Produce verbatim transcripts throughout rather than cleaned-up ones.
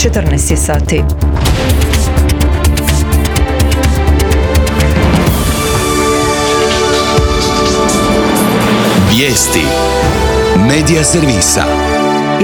četrnaest je sati. Vijesti Medija servisa.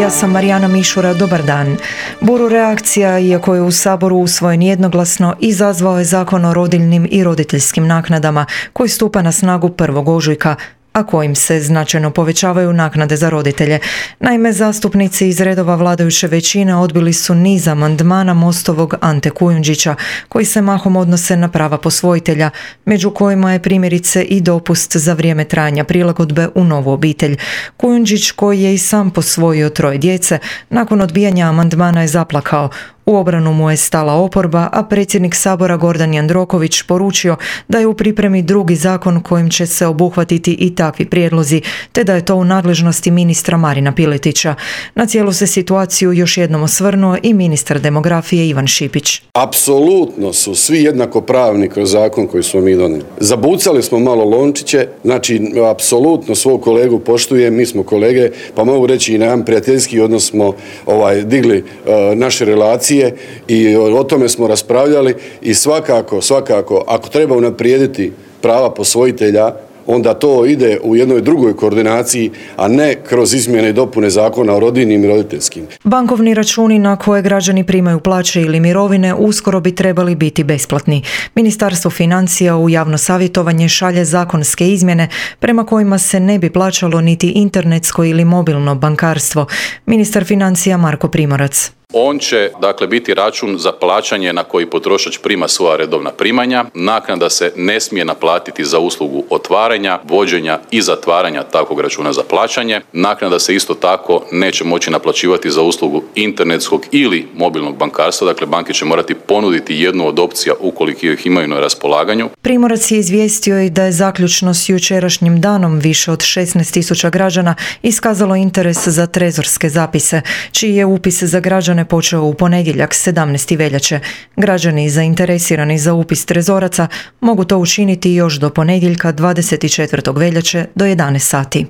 Ja sam Marijana Mišura, dobar dan. Buru reakcija, iako je u Saboru usvojen jednoglasno, izazvao je Zakon o rodiljnim i roditeljskim naknadama, koji stupa na snagu prvog ožujka, a kojim se značajno povećavaju naknade za roditelje. Naime, zastupnici iz redova vladajuće većine odbili su niz amandmana Mostovog Ante Kujundžića, koji se mahom odnose na prava posvojitelja, među kojima je primjerice i dopust za vrijeme trajanja prilagodbe u novu obitelj. Kujundžić, koji je i sam posvojio troje djece, nakon odbijanja amandmana je zaplakao. U obranu mu je stala oporba, a predsjednik Sabora Gordan Jandroković poručio da je u pripremi drugi zakon kojim će se obuhvatiti i takvi prijedlozi, te da je to u nadležnosti ministra Marina Piletića. Na cijelu se situaciju još jednom osvrnuo i ministar demografije Ivan Šipić. Apsolutno su svi jednakopravni kroz zakon koji smo mi donijeli. Zabucali smo malo lončiće, znači apsolutno svog kolegu poštujem, mi smo kolege, pa mogu reći i na jedan prijateljski odnos smo ovaj, digli uh, naše relacije i o tome smo raspravljali i svakako, svakako, ako treba unaprijediti prava posvojitelja, onda to ide u jednoj drugoj koordinaciji, a ne kroz izmjene i dopune zakona o rodiljnim i roditeljskim. Bankovni računi na koje građani primaju plaće ili mirovine uskoro bi trebali biti besplatni. Ministarstvo financija u javno savjetovanje šalje zakonske izmjene prema kojima se ne bi plaćalo niti internetsko ili mobilno bankarstvo. Ministar financija Marko Primorac. On će, dakle, biti račun za plaćanje na koji potrošač prima svoja redovna primanja. Naknada se ne smije naplatiti za uslugu otvaranja, vođenja i zatvaranja takvog računa za plaćanje. Naknada se isto tako neće moći naplaćivati za uslugu internetskog ili mobilnog bankarstva. Dakle, banke će morati ponuditi jednu od opcija ukoliko ih imaju na raspolaganju. Primorac je izvijestio i da je zaključno s jučerašnjim danom više od šesnaest tisuća građana iskazalo interes za trezorske zapise, čiji je upis za građane počeo u ponedjeljak sedamnaestog veljače. Građani zainteresirani za upis trezoraca mogu to učiniti još do ponedjeljka dvadeset četvrtog veljače do jedanaest sati.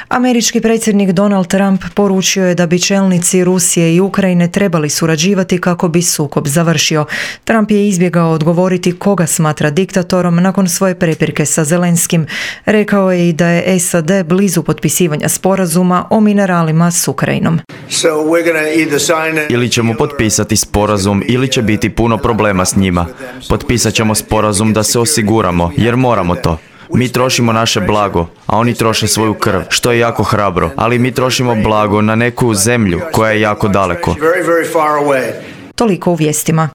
Američki predsjednik Donald Trump poručio je da bi čelnici Rusije i Ukrajine trebali surađivati kako bi sukob završio. Trump je izbjegao odgovoriti koga smatra diktatorom nakon svoje prepirke sa Zelenskim. Rekao je i da je S A D blizu potpisivanja sporazuma o mineralima s Ukrajinom. So we're gonna either sign Ili ćemo potpisati sporazum ili će biti puno problema s njima. Potpisat ćemo sporazum da se osiguramo, jer moramo to. Mi trošimo naše blago, a oni troše svoju krv, što je jako hrabro, ali mi trošimo blago na neku zemlju koja je jako daleko. Toliko u vijestima.